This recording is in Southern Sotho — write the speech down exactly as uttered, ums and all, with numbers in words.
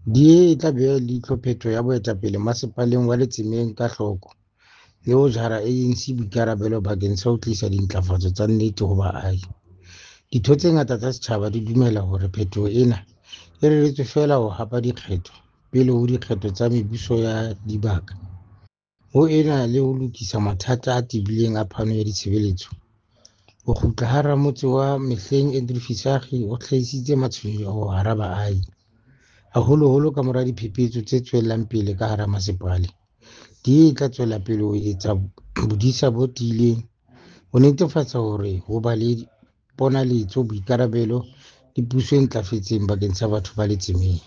D A e tla beha leihlo phetho ya boetapele Masepaleng wa Letsemeng ka hloko, le ho jara A N C boikarabelo bakeng sa ho tlisa dintlafatso tsa nnete ho baahi. Ditho tse ngata tsa setjhaba di dumela hore phetoho ena e reretswe feela ho hapa dikgetho pele ho dikgetho tsa mebuso ya dibaka, ho ena le ho lokisa mathata a tebileng a phano ya ditshebeletso. Ho kgutla ha ramotse wa mehleng Andrew Visagie ho hlahisitse matshwenyeho hara baahi, haholoholo kamora diphephetso tse tswelang pele ka hara masepale. D A e tla tswela pele ho etsa bodisa bo tiileng ho netefatsa hore ho ba le ponaletso, boikarabelo le puso e ntlafetseng bakeng sa batho ba Letsemeng.